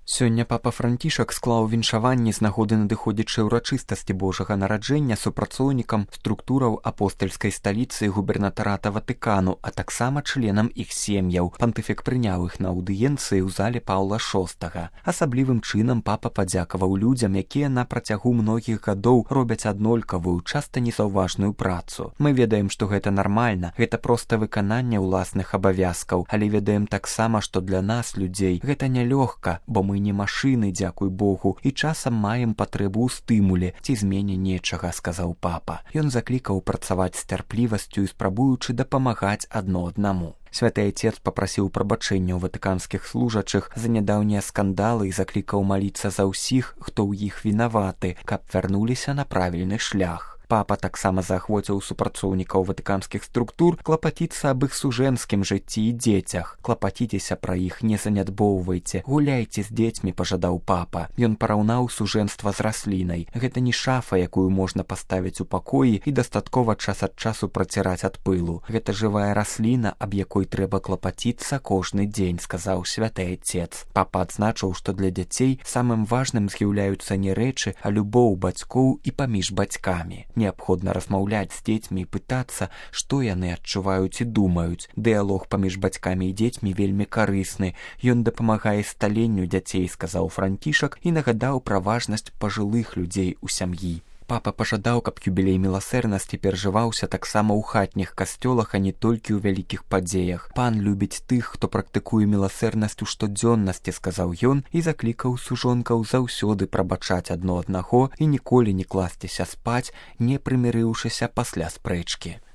Сёння папа Францішак склаў віншаванні з нагоды надыходзячай урачыстасці Божага нараджэння супрацоўнікам структураў апостальскай сталіцы і губернатарата Ватыкану, а таксама членам іх сем'яў. Пантыфік прыняў іх на аўдыенцыі ў зале Паўла VI. Асаблівым чынам папа падзякаваў людзям, якія на працягу многіх гадоў робяць аднолькавую, часта незаўважную працу. Мы ведаем, што гэта нармальна, гэта проста выкананне ўласных абавязкаў, але ведаем таксама, што для нас, людзей, гэта нялёгка, бо мы не машыны, дзякуй Богу, і часам маем патрэбу ў стымуле ці змене нечага, сказаў папа. Ён заклікаў працаваць з цярплівасцю і спрабуючы дапамагаць адно аднаму. Святы Айцец папрасіў прабачэння ў ватыканскіх служачых за нядаўнія скандалы і заклікаў маліцца за ўсіх, хто ў іх вінаваты, каб вярнуліся на правільны шлях. Папа таксама заахвоціў супрацоўнікаў ватыканскіх структур клапаціцца аб іх сужэнскім жыцці і дзецях. Клапаціцеся пра іх, не занядбоўвайце, гуляйце з дзецьмі, пажадаў папа. Ён параўнаў сужэнства з раслінай. Гэта не шафа, якую можна паставіць у пакоі і дастаткова час ад часу праціраць ад пылу. Гэта жывая расліна, аб якой трэба клапаціцца кожны дзень, сказаў святы Айцец. Папа адзначыў, што для дзяцей самым важным з'яўляюцца не рэчы, а любоў бацькоў і паміж бацькамі. Неабходна размаўляць з дзецьмі і пытацца, што яны адчуваюць і думаюць. Дыялог паміж бацькамі і дзецьмі вельмі карысны. Ён дапамагае сталенню дзяцей, сказаў Францішак і нагадаў пра важнасць пажылых людзей у сям'і. Папа пажадаў, каб юбілей міласэрнасці перажываўся таксама ў хатніх касцёлах, а не толькі ў вялікіх падзеях. Пан любіць тых, хто практыкуе міласэрнасць у штодзённасці, сказаў ён і заклікаў сужонкаў заўсёды прабачаць адно аднаго і ніколі не класціся спаць, не прымірыўшыся пасля спрэчкі.